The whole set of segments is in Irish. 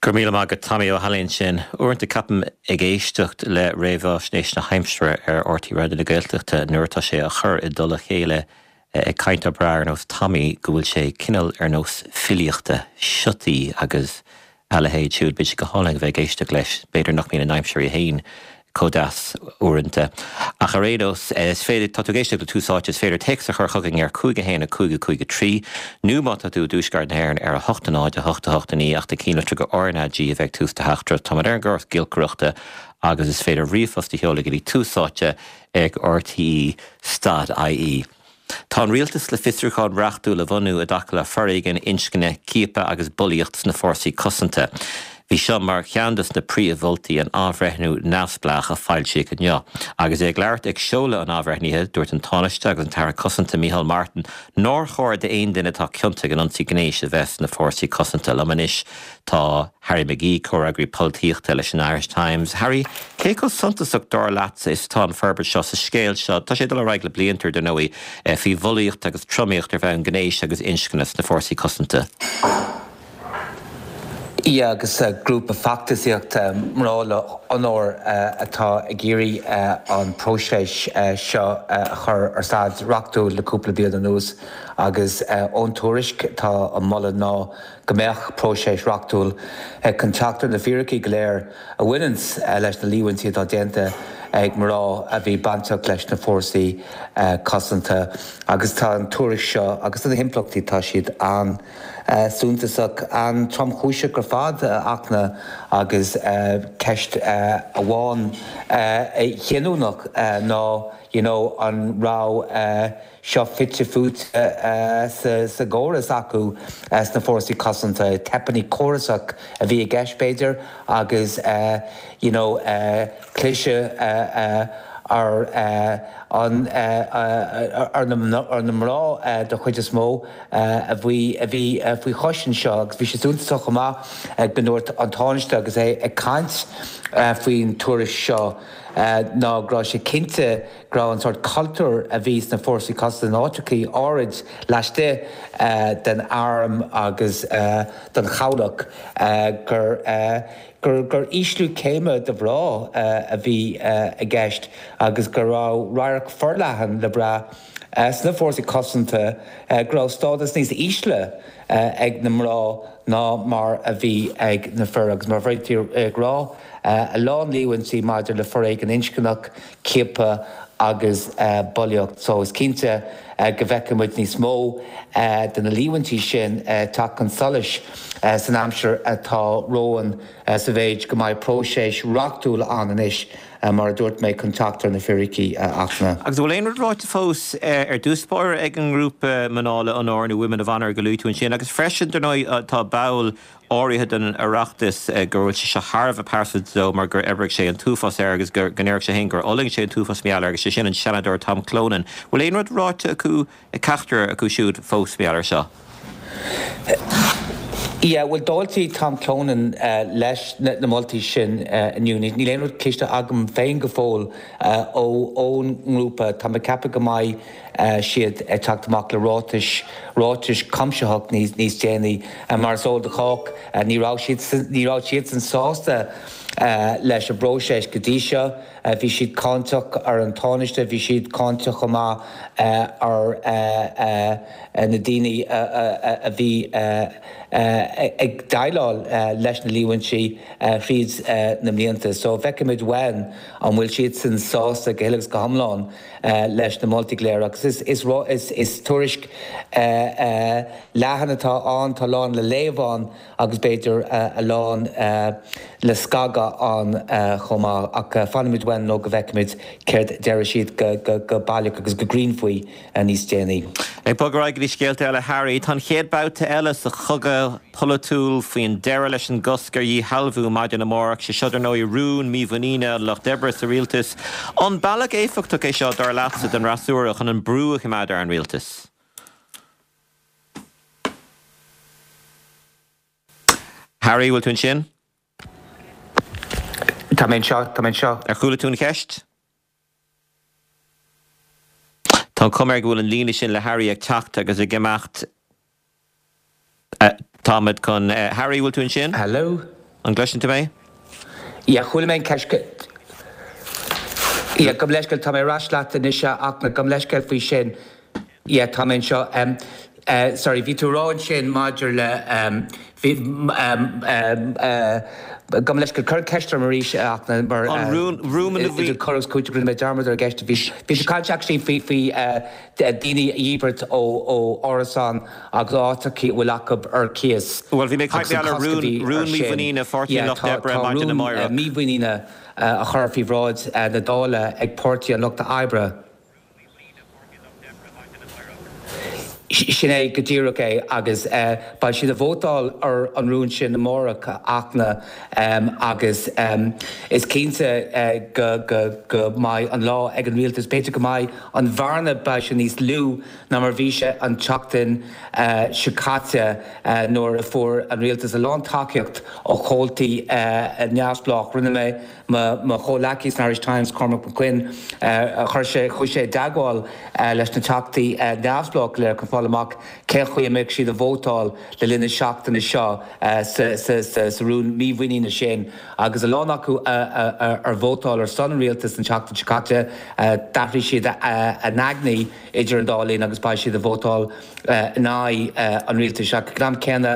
Go raibh míle maith agat Tommy Ó hAilín ansin. Uaireanta ceapaim ag éisteacht le réamhaisnéis na haimsire ar RTÉ Raidió na Gaeltachta nuair atá sé á chur i dtoll a chéile ag cainteoir breá ar nós Tommy go bhfuil sé cineál ar nós filíochta, siotaí agus a leithéid siúd. Bíonn sé go hálainn a bheith ag éisteacht leis. B'fhéidir nach mbíonn an aimsir í fhéin chomh deas uaireanta. Ach ar aon nós, is féidir, tá tú ag éisteacht le Tús Áite, is féidir téacs a chur chugainn ar 5 1 5 5 3 nó má tá tú i dTuaisceart na hÉireann ar 8 0 8 8 9 ach déan cinnte gur RnaG a bheidh ag tús do theachtaireacht. Táimid ar an gcóras giolcaireachta agus is féidir ríomhphost a sheoladh go dtí Tús Áite ag rte stad ie. Tá an rialtas le fiosrúchán reachtúil a bhunú i dtaca le foréigean inscne, ciapadh agus bulaíocht sna fórsaí cosanta. Bhí seo mar cheann de na príomh-mholtaí in athbhreithniú neamhspleách a foilsíodh inniu. Agus é ag labhairt ag seoladh an athbhreithnithe, dúirt an Tánaiste agus an tAire Cosanta Micheál Martin nár chóir d'aon duine atá ciontach in ionsaí gnéis a bheith sna fórsaí cosanta. Liom anois tá Harry McGee, comhfhreagraí polaitíochta leis an Irish Times. Harry, cé chomh suntasach dar leatsa is atá an forbairt seo sa scéal seo? Tá sé ag dul ar aghaidh le blianta, dar ndóigh, faoi bhulaíocht agus tromaíocht ar bhonn gnéis agus inscne sna fórsaí cosanta. Yeah, agus grúpa feachtasaíochta Mná le hOnóir atá ag iarraidh an próiseas seo a chur ar staid reachtúil le cúpla bliain anuas agus ón tuairisc tá an moladh ná go mbeadh próiseas reachtúil chun teacht ar na fíricí go léir a bhaineanns leis na líomhaintí atá déanta ag mná a bhí bainteach leis na fórsaí cosanta. Agus tá an tuairisc seo agus na himpleachtaí, tá siad an-suntasach, an-tromchúiseach ar fad, a Fhachtna, agus ceist amháin chinniúnach ná you know an raibh seo fite fuaite sa gcóras acu sna fórsaí cosanta, teipeanna córasach a bhí i gceist b'fhéidir agus you know cliseadh ar an ar na mná de chuid is mó a bhí a bhí faoi chois anseo agus bhí sé suntasach chomh maith go ndúirt an Tánaiste agus é ag caint faoin tuairisc seo ná go raibh sé cinnte go raibh an sórt cultúr a bhí sna fórsaí cosanta in áiteachaí áirid laistigh den arm agus den chabhlach gur gur gur ísliú céime do mhná a bhí i gceist agus go raibh radharc forleathan le brath sna fórsaí cosanta go raibh stádas níos ísle ag na mná ná mar a bhí ag na fir agus mar a bhí tú ag rá a lán líomhaintí maidir le foréigean inscneach ciapadh agus bulaíocht. So is cinnte go bhfeicfidh muid níos mó de na líomhaintí sin ag teacht chun solais san aimsir atá romhainn sa mhéid go mbeidh próiseas reachtúil ann anois, mar a dúirt mé, chun teacht ar na fíricí, a Fhachtna. Agus an bhfuil aon rud ráite fós ar dtús báire ag an ngrúpa Mná le Onóir nó Women of Honour go luaigh tú ansin? Agus freisin, dar ndóigh, tá ball áirithe den Oireachtas go bhfuil sé seo thar a bheith pearsanta dó mar gur oibrigh sé an t-uafás air agus go ndéarfadh sé féin gur fhulaing sé an t-uafás mar gheall air agus sé sin an Seanadóir Tom Clonan. Bhfuil aon rud ráite acu, ag ceachtar acu siúd fós mar gheall air seo? Yeah, bhuel d'fháiltigh Tom Clonan leis na moltaí sin inniu. Níl aon rud cloiste agam féin go fóill ón ngrúpa. Tá mé ag ceapadh go mbeidh siad ag teacht amach le ráitis, ráitis cuimsitheach níos déanaí. Mar is eol do chách, ní raibh siad, ní raibh siadsan sásta leis an bpróiseas go dtí seo. Bhí siad cáinteach ar an Tánaiste, bhí siad cáinteach chomh maith ar na daoine a bhí ag déileáil leis na líomhaintí thríd na mblianta. So feicfimid uainn an bhfuil siadsan sásta go huile agus go hiomlán. leis na moltaí go léir agus is is tuairisc leathan atá ann, tá a lán le léamh ann agus b'fhéidir a lán le scagadh ann chomh maith ach fanfaimid uainn nó go bhfeicfimid céard déarfaidh siad go baileach agus go cruinn faoi níos déanaí. Ag bogadh ar aghaidh go dtí scéalta eile Harry, tá an chéad babhta eile sa chogadh polaitiúil faoin deireadh leis an gcosc ar dhíshealbhú maidin amárach. Sé seo dar ndóigh rún mímhuiníne an Lucht Oibre sa rialtas. An bealach éifeachtach é seo, dar leatsa, don fhreasúra chun an brú a choimeád ar an rialtas? Harry, bhfuil tú ansin? Tá mé anseo, tá mé anseo. Ar chuala tú an cheist? Tá an chuma air go bhfuil an líne sin le Harry ag teacht agus ag imeacht. Táimid chun. Harry, bhfuil tú ansin? Hello? An gcloiseann tú mé? Yeah, chuala mé an ceist. Yeah, gabh mo leithscéal, tá mé ar ais leat anois a Fhachtna, gabh mo leithscéal faoi sin. Yeah, tá mé anseo. Um, uh, sorry, bhí tú ag rá ansin maidir le um, bhí, um, uh, gabh mo leithscéal, cuir an ceist orm arís a Fhachtna mar An rún, rún na idir cur agus cúiteamh rinne mé dearmad ar an gceist. Bhí, bhí tú ag caint actually faoi, faoi uh, daoine a dhíbirt ó árasáin agus áiteachaí a bhfuil acu ar cíos Bhuel, bhí mé ag caint agus an ar cosc a rún, bhí rún ar sin. mímhuiníne Pháirtí an Yeah, Lucht tá, Oibre tá maidin rún amárach. mímhuiníne á chur faoi bhráid na Dála ag Páirtí an Lucht Oibre. Sin é go díreach é agus beidh siad ag vótáil ar an rún sin amárach, a Fhachtna, agus is cinnte go mbeidh an lá ag an rialtas. B'fhéidir go mbeidh an bhearna, beidh sé níos lú ná mar bhí sé an tseachtain seo caite nuair a fuair an rialtas a lán tacaíocht ó chomhaltaí neamhspleách. Rinne mé Mo chomhleacaí san Irish Times, Cormac Mac Coinn, chuir sé, chuaigh sé i dteagmháil leis na teachtaí neamhspleách go léir chun fáil amach cén chaoi a mbeadh siad ag vótáil le linn na seachtaine seo sa rún mímhuiníne sin agus a lán acu ar vótáil ar son an rialtais an tseachtain seo caite, d'athraigh siad a n-aigní idir an dá linn agus beidh siad ag vótáil in aghaidh an rialtais. Ach ag an am céanna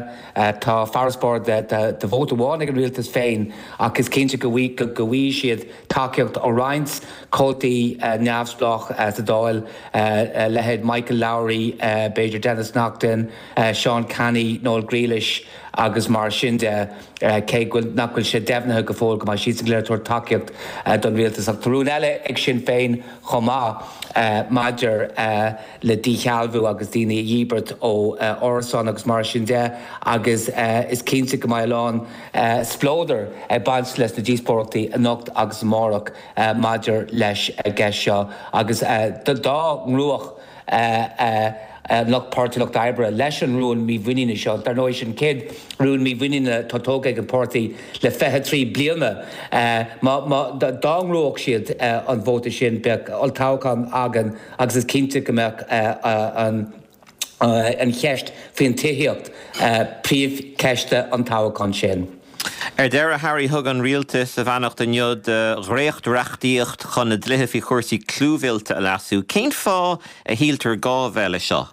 tá farasbarr de vóta amháin ag an rialtas féin ach is cinnte go bhfaighidh siad tacaíocht ó roinnt comhaltaí neamhspleách sa Dáil, leithéid Michael Lowry, b'fhéidir Denis Naughten, Seán Canney, Noel Grealish agus mar sin de, cé nach bhfuil sé deimhnithe go fóill go mbeidh siadsan go léir ag tabhairt tacaíocht don rialtas. Ach tá rún eile ag Sinn Féin chomh maith maidir le díshealbhú agus daoine a dhíbirt ó árasáin agus mar sin de agus is cinnte go mbeidh a lán spleodair ag baint leis na díospóireachtaí anocht agus amárach maidir leis an gceist seo agus dá ngnóthódh lucht Páirtí Lucht Oibre leis an rún mímhuiníne seo. Dar ndóigh, sin an chéad rún mímhuiníne atá tógtha ag an bpáirtí le 23 bliana. Dá ngnóthódh siad an vóta sin, bheadh olltoghchán againn agus is cinnte go mbeadh an cheist faoin tithíocht príomhcheist an toghcháin sin. Ar deireadh, Harry, thug an Rialtas a bheannacht inniu do dhréacht-reachtaíocht chun na dlíthe faoi chúrsaí clúmhillte a leasú. Cén fáth a shíltear gá a bheith leis seo?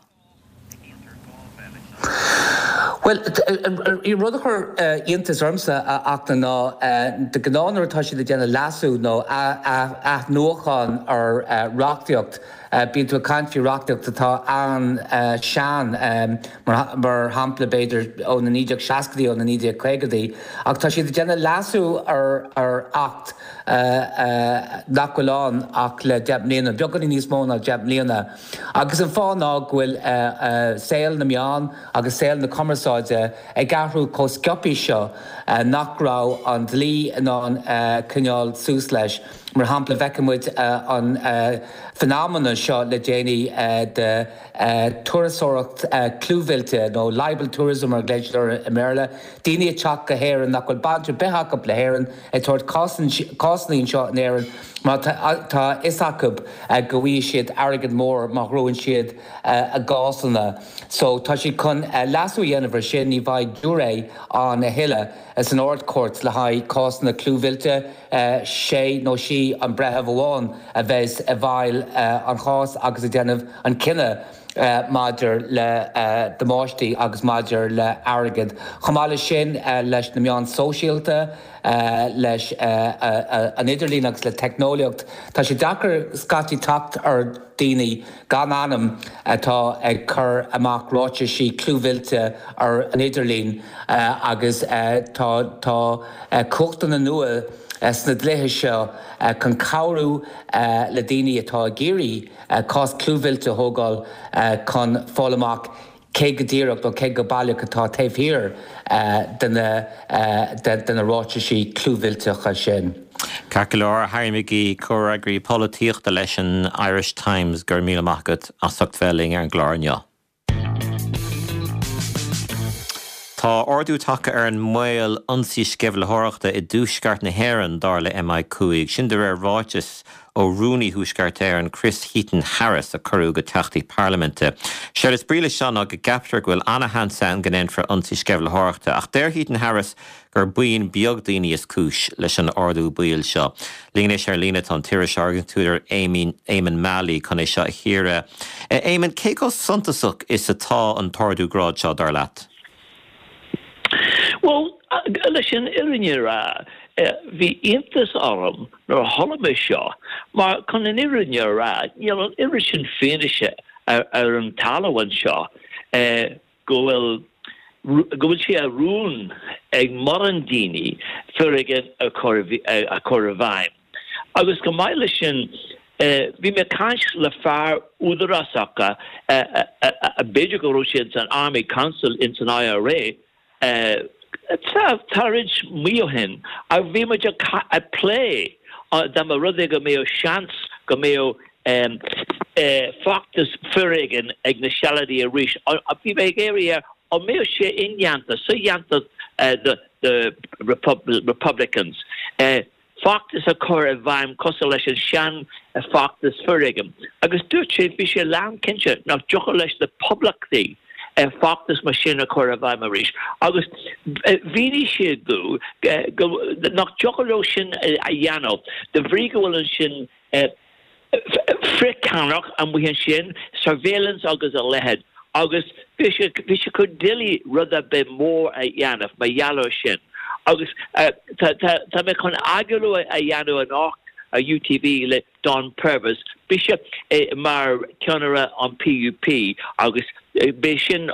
Bhuel, an rud a chuir iontas ormsa, a Fhachtna, ná de ghnáth nuair atá siad ag déanamh leasú nó athnuachan ar reachtaíocht, bíonn tú ag caint faoi reachtaíocht atá an-sean, mar shampla b'fhéidir ó na 1960idí, ó na 1950idí, ach tá siad ag déanamh leasú ar Acht nach bhfuil ann ach le 10 mbliana, beagáinín níos mó ná 10 mbliana. Agus an fáth ná go bhfuil saol na meán agus saol na cumarsáide ag athrú chomh sciobtha seo nach raibh an dlí in ann coinneáil suas leis. Mar shampla, bhfeiceann muid an fenomena seo le déanaí de turasóireacht clúmhillte nó libel tourism mar a ghlaonn siad air i mBéarla, daoine ag teacht go hÉirinn nach bhfuil baint ar bith acu le hÉirinn, ag tabhairt cásanna anseo in Éirinn mar tá a fhios acu go bhfaighidh siad airgead mór má ghnóthaíonn siad a gcásanna. So tá siad chun leasú a dhéanamh ar sin, ní bheidh giúiré ann a thuilleadh san Ard-Chúirt le haghaidh cásanna clúmhillte, sé nó sí an breitheamh amháin a bheas i bhfeighil an chás agus ag déanamh an cinneadh. maidir le damáistí agus maidir le airgead. Chomh maith leis sin, leis na meáin sóisialta, leis an idirlíon agus le teicneolaíocht, tá sé deacair scaití teacht ar daoine gan ainm atá ag cur amach ráitisí clúmhillte ar an idirlíon agus tá tá cumhachtanna nua sna dlíthe seo chun cabhrú le daoine atá ag iarraidh cás clúmhillte a thógáil chun fáil amach cé go díreach nó cé go baileach atá taobh thiar de na ráitisí clúmhillteacha sin. Ceart go leor, a Harry McGee, Comhfhreagraí Polaitíochta leis an Irish Times, go raibh míle maith agat as ucht bheith linn ar an gclár inniu. Tá ardú tagtha ar an mbaol ionsaí sceimhlitheoireachta i dtuaisceart na hÉireann, dar le MI5. Sin de réir ráiteas. ó Rúnaí Thuaisceart Éireann, Chris Heaton-Harris, a cuireadh go teachtaí parlaiminte. Séard is brí leis seo ná go gceaptar go bhfuil ana-sheans ann go ndéanfar ionsaí sceimhlitheoireachta, ach deir Heaton-Harris gur buíon beag daoine is cúis leis an ardú baoil seo. Linn anois ar líne tá an t-iriseoir agus an t-údar Éamonn Mallie chun é seo a chíoradh. Éamonn, cé chomh suntasach is atá an t-ardú gráid seo, dar leat? Bhuel, leis an fhírinne a rá, bhí iontas orm nuair a chuala mé seo, mar chun an fhírinne a rá, níl an oiread sin fianaise ar an talamh anseo go bhfuil go bhfuil sé i rún ag mórán daoine foréigean a chur a chur i bhfeidhm. Agus chomh maith leis sin, bhí mé ag caint le fear údarásach, b'fhéidir go raibh sé ins an Army Council ins an IRA, tá roinnt mí ó shin, agus bhí muid ag plé dá mba rud é go mbeadh seans go mbeadh feachtas foréigin ag na Sealadaigh arís. Bhí mé ag iarraidh air an mbeadh sé indéanta, sodhéanta do Republicans. feachtas a chur i bhfeidhm cosúil leis an sean feachtas foréigin agus dúirt sé, bhí sé lán cinnte nach dtiocfadh leis na poblachtaigh feachtas mar sin a chur i bhfeidhm arís agus mhínigh sé domh go nach dtiocfadh leo sin a dhéanamh de bhrí go bhfuil ansin frithcheannaireacht amuigh ansin, surveillance agus a leithéid, agus bhí sé bhí sé chomh doiligh rud ar bith mór a dhéanamh mar gheall air sin. Agus tá tá tá mé chun agallamh a dhéanamh anocht ar UTV le Don Purvis, bhí sé mar cheannaire an PUP agus b'é sin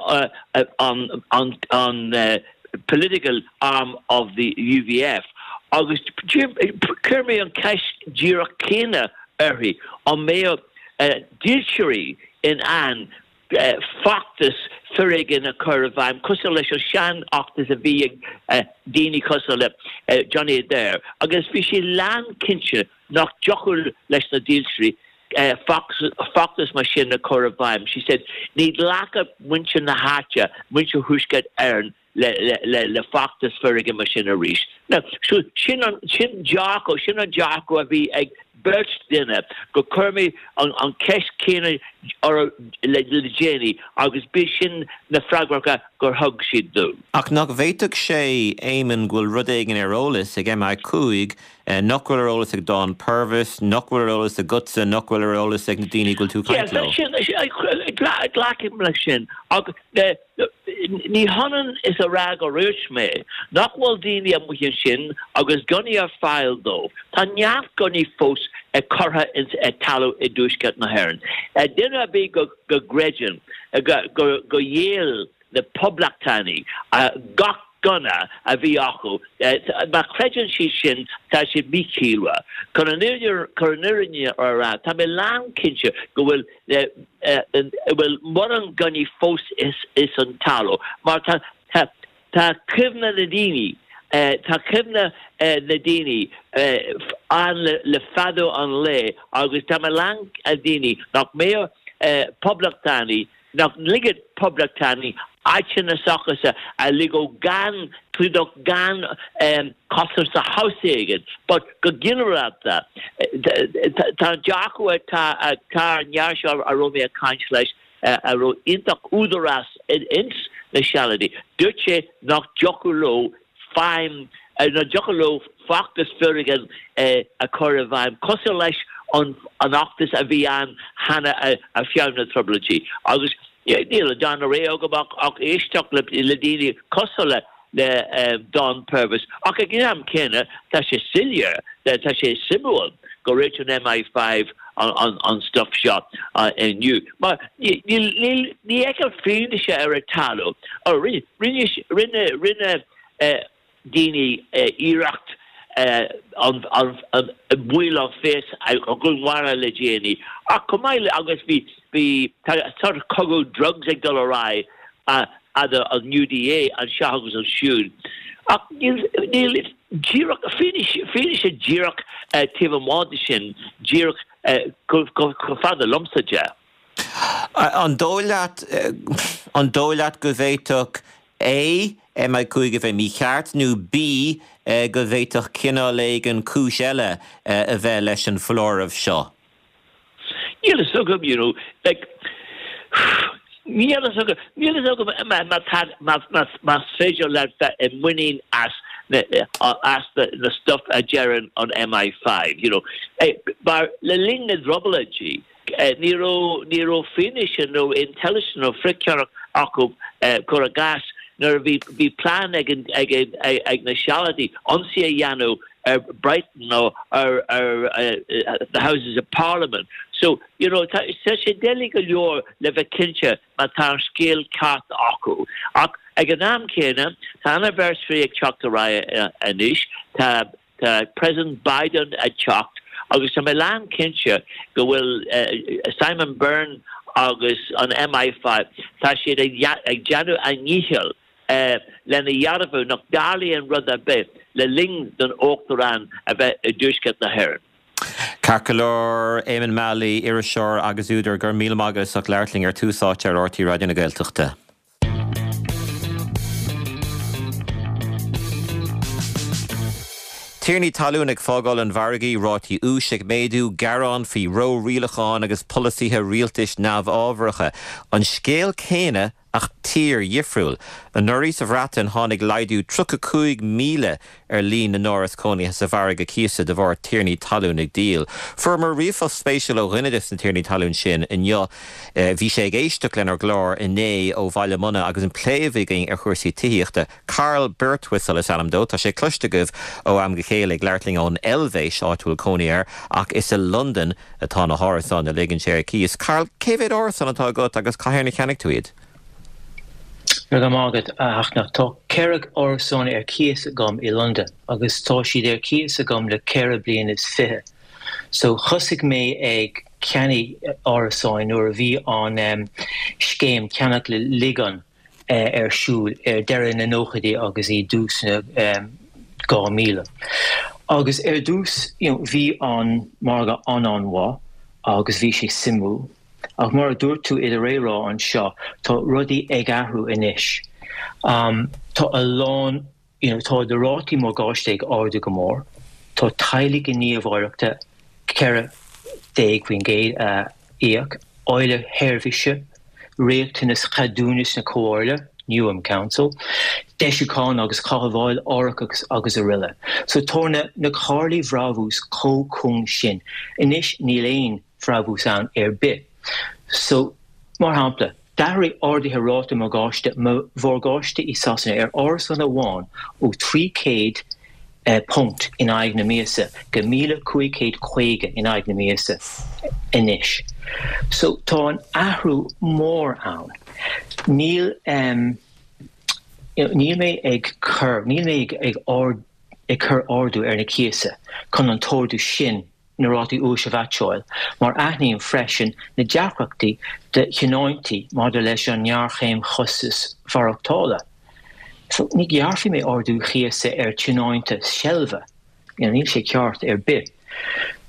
an an an political arm of the UVF agus chuir mé an ceist díreach céanna uirthi, an mbeadh dílseoirí in ann feachtas foréigin a chur i bhfeidhm cosúil leis an seanfheachtas a bhí ag daoine cosúil le Johnny Adair agus bhí sí lánchinnte nach dtiocfadh leis na dílseoirí feachtas mar sin a chur i bhfeidhm. She said, Ní ghlacfadh muintir na háite, muintir Thuaisceart Éireann, le feachtas foréigin mar sin arís. Now, so sin an, sin dearcadh, sin an dearcadh a bhí ag beirt duine gur chuir mé an cheist chéanna orthu le déanaí agus b'é sin na freagracha gur thug siad domh. Ach nach bhféadfadh sé, Éamonn, go bhfuil rud éigin ar eolas ag MI5 nach bhfuil ar eolas ag Don Purvis, nach bhfuil ar eolas agatsa, nach bhfuil ar eolas ag na daoine go bhfuil tú ag caint leo? Glacaim leis sin. Ach ní hionann is a rá go ndúirt mé nach bhfuil daoine amuigh ansin agus gunnaí ar fáil dóibh. Tá neart gunnaí fós curtha ins an talamh i dTuaisceart na hÉireann. Duine ar bith go gcreideann gur dhíol na poblachtánaigh gach gunna a bhí acu. Má chreideann siad sin, tá siad míchiallmhar. Chun an fhírinne a rá, tá mé lánchinnte go bhfuil bhfuil mórán gunnaí fós ins an talamh, mar tá tá cuimhne na daoine, tá cuimhne na daoine ann le fada an lae agus tá mé lán daoine nach mbeadh poblachtánaigh nach ligfeadh poblachtánaigh áiteanna s'acusa a ligeadh gan clúdach gan cosaint sa house éigin but go ginearálta tá an dearcadh atá ar an fhear seo a raibh mé ag caint leis a raibh iontach údarás ins na Sealadaigh dúirt sé nach dtiocfadh leo feidhm, nach dtiocfadh leo feachtas foréigin a chur i bhfeidhm, cosúil leis an fheachtas a bhí ann cheana ar feadh na Trioblóidí. Agus níl an darna rogha agam ach éisteacht le daoine cosúil le Don Purvis. Ach ag an am céanna, tá sé soiléir, tá sé suimiúil go ndúirt an MI5 an stuif seo inniu. Mar ní fheicim fianaise ar an talamh. Rinne, rinne daoine iarracht an baill an phéas a dhúnmharú le déanaí ach chomh maith le agus bhí, bhí, tá sort cogadh drugs ag dul ar aghaidh idir an UDA anseo agus ansiúd ach níl, níl díreach, fianaise, fianaise díreach taobh amuigh de sin díreach chomh fada liomsa de. An dóigh leat, an dóigh leat go bhféadfadh. A, MI5 a bheith mícheart, nó B, go bhféadfadh cineál éigin cúis eile a bheith leis an foláireamh seo? Níl a fhios agam, you know, like, níl a fhios agam, níl a fhios agam má tá, más féidir leat bheith i muinín as na, as na stuff a deireann an MI5, you know. Mar le linn na dTrioblóidí, ní raibh, ní raibh fianaise nó intelligence nó frithcheannaireacht acu, cuir i gcás, nuair a bhí, bhí plean ag an, ag an, ag na Sealadaigh ionsaí a dhéanamh ar Brighton nó ar ar the Houses of Parliament. So, you know, tá sé doiligh go leor le bheith cinnte má tá an scéal ceart acu. Ach ag an am céanna, tá anniversary ag teacht ar aghaidh anois, tá tá President Biden ag teacht agus tá mé lán cinnte go bhfuil Simon Byrne agus an MI5, tá siad ag déanamh a ndícheall lena dhearbhú nach dtarlaíonn rud ar bith le linn don Uachtarán a bheith i dTuaisceart na hÉireann. Ceart go leor, Éamonn Mallie, iriseoir agus údar, go raibh míle maith agat as ucht labhairt linn ar Tús Áite ar RTÉ Raidió na Gaeltachta. Tiarnaí talún ag fágáil an mhargaidh, rátaí úis ag méadú, gearáin faoi ró-rialacháin agus polasaithe rialtais neamhábharacha. An scéal céanna Ach tír dhifriúil. Anuraidh sa Bhreatain tháinig laghdú 35,000 ar líon na n-áras cónaithe sa mhargadh cíosa de bharr tiarnaí talún ag díol. Fuaireamar ríomhphost spéisiúil ó dhuine des na tiarnaí talún sin inniu. Bhí sé ag éisteacht lenár gclár inné ó Bhaile Munna agus an plé a bhí againn ar chúrsaí tithíochta. Carl Birtwistle is ainm dó. Tá sé cloiste agaibh ó am go chéile ag labhairt linn ón Eilvéis, áit a bhfuil cónaí air, ach is i Londain atá na hárasáin a ligeann sé ar cíos. Carl, cé mhéad árasán atá agat agus cathain a cheannaigh tú iad? Go raibh maith agat, a Fhachtna. Tá 4 árasán ar cíos agam i Londain agus tá siad ar cíos agam le 4 bliana is 20. So thosaigh mé ag ceannaigh árasáin nuair a bhí an scéim ceannach le ligean ar siúl ar deireadh na nóchaidí agus i dtús na 2000. Agus ar dtús you know bhí an margadh an-an-mhaith agus bhí sé suimiúil. Ach mar a dúirt tú i do réamhrá anseo, tá rudaí ag athrú anois. Tá a lán you know tá na rátaí morgáiste ag ardú go mór, tá teaghlaigh i ndiaidh ráta 14% a íoc, ualaí seirbhíse, riachtanas cheadúnas na comhairle, Newham Council, deisiúchán agus cothabháil árachas agus araile. So tá na na comhairlí bhrabús chomh cúng sin. Anois níl aon bhrabús ann ar bith. So, mar shampla, D'athraigh arduithe ráta morgáiste mo mhorgáiste i Sasana ar árasán amháin ó £300 in aghaidh na míosa go 1,550 in aghaidh na míosa anois. So tá an athrú mór ann. Níl níl mé ag cur níl mé ag ag cur ardú ar na cíosa chun an t-ardú sin na rátaí úis a mheaitseáil, mar aithním freisin na deacrachtaí do thionóntaí maidir leis an ngéarchéim chostais mhaireachtála. So, ní ghearrfaidh mé ardú cíosa ar tionónta seilbhe, you know, níl sé ceart ar bith.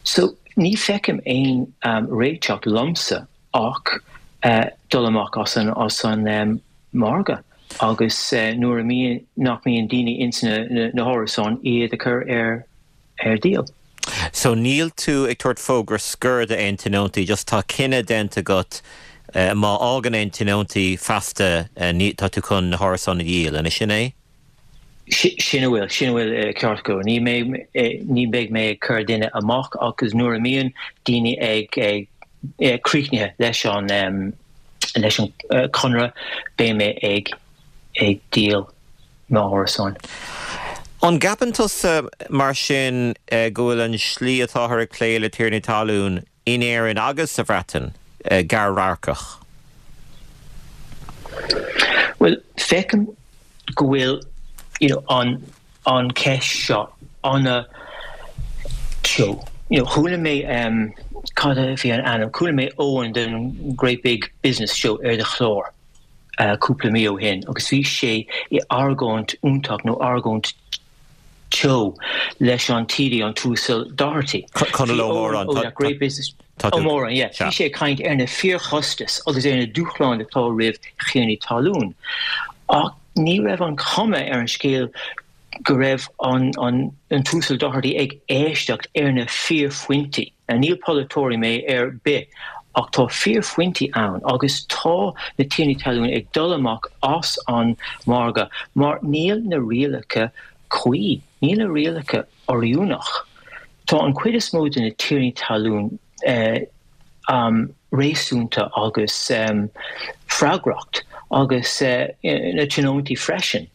So, ní feicim aon réiteach liomsa ach dul amach as an as an margadh agus nuair a mbíonn nach mbíonn daoine ins na na hárasáin iad a chur ar ar díol. So níl tú ag tabhairt fógra scoir d'aon tionóntaí, just tá cinneadh déanta agat má fhágann aon tionóntaí feasta tá tú chun na hárasáin a dhíol, an é sin é? Sin a bhfuil, sin a bhfuil ceart go leor. Ní mbeidh, ní bheidh mé ag cur duine amach agus nuair a mbíonn daoine ag, ag críochnaithe leis an, leis an conradh beidh mé ag, ag díol. m'árasáin. An gceapann tusa, mar sin, go bhfuil an slí atáthar ag plé le tiarnaí talún in Éirinn agus sa Bhreatain gearr-radharcach? Bhuel, feicim go bhfuil you know an an cheist seo ana teo. You know, chuala mé um, cad a bhí an ainm, chuala mé Eoin den Great Big Business Show ar do chlár. cúpla mí ó shin agus bhí sé i argóint iontach nó argóint teo leis an TD an tUasal Doherty. Conall Ó Móráin. Ó that great business Ó Móráin, yeah. Bhí sé ag caint ar na fíorchostais agus ar na dúshláin atá roimh thiarnaí talún. Ach. Ní raibh an chuma ar an scéal go raibh an an tUasal Doherty ag éisteacht ar na fíorphointí. Now níl polaiteoirí mé ar bith ach tá fíorphointí ann agus tá na tiarnaí talún ag dul amach as an margadh mar níl na rialacha cuí, níl na rialacha oiriúnach. Tá an chuid is mó de na tiarnaí talún réasúnta agus freagracht agus na tionóntaí freisin.